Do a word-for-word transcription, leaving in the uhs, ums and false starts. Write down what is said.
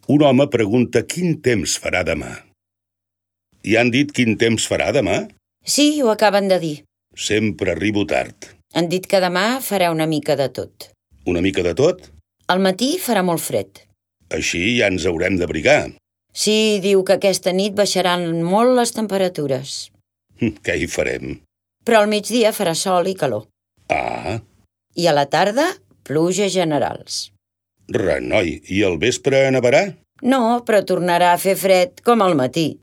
Un home pregunta quin temps farà demà. I han dit quin temps farà demà? Sí, ho acaben de dir. Sempre arribo tard. Han dit que demà farà una mica de tot. Una mica de tot? Al matí farà molt fred. Així ja ens haurem d'abrigar. Sí, diu que aquesta nit baixaran molt les temperatures. Què hi farem? Però al migdia farà sol i calor. Ah. I a la tarda, pluges generals. Renoi, i al vespre nevarà? No, però tornarà a fer fred com al matí.